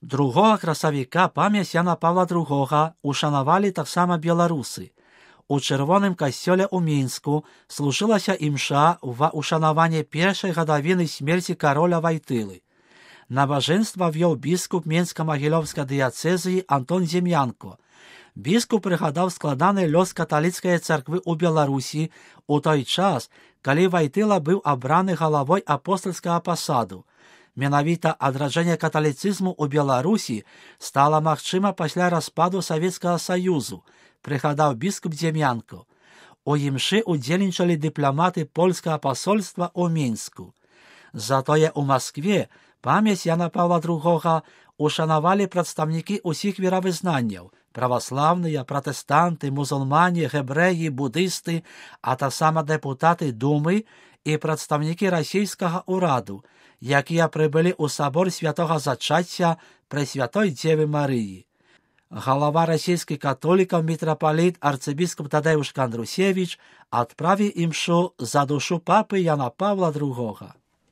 2 красавіка памяць Яна Павла II ушанавалі таксама беларусы. У Чырвоным касцёле ў Мінску служылася імша ва ушанаванне першай гадавіны смерці кароля Вайтылы. Набажэнства вёў біскуп Менска-Магілёўскай дыяцэзіі Антон Зем'янко. Біскуп прыгадаў складаны лёс каталіцкай царквы ў Беларусі у той час, калі Вайтыла быў абраны галавой апостальскага пасаду. Менавіта адраджэнне каталіцызму ў Беларусі стала магчыма пасля распаду Савецкага Саюзу, прыгадаў біскуп Зем'янко. У імшы удзельнічалі дыпламаты польскага пасольства ў Мінску. Затое ў Маскве памяць Яна Павла II ушанавалі прадстаўнікі ўсіх веравызнанняў: праваслаўныя, пратэстанты, мусульмане, гэбрэі, будысты, а таксама дэпутаты Думы і прадстаўнікі расійскага ўраду, якія прыбылі ў сабор святога зачацця Прэсвятой Дзевы Марыі. Галава расійскіх католікаў мітрапаліт арцыбіскуп Тадеуш Кандрусевіч адправіў імшу за душу папы Яна Павла II.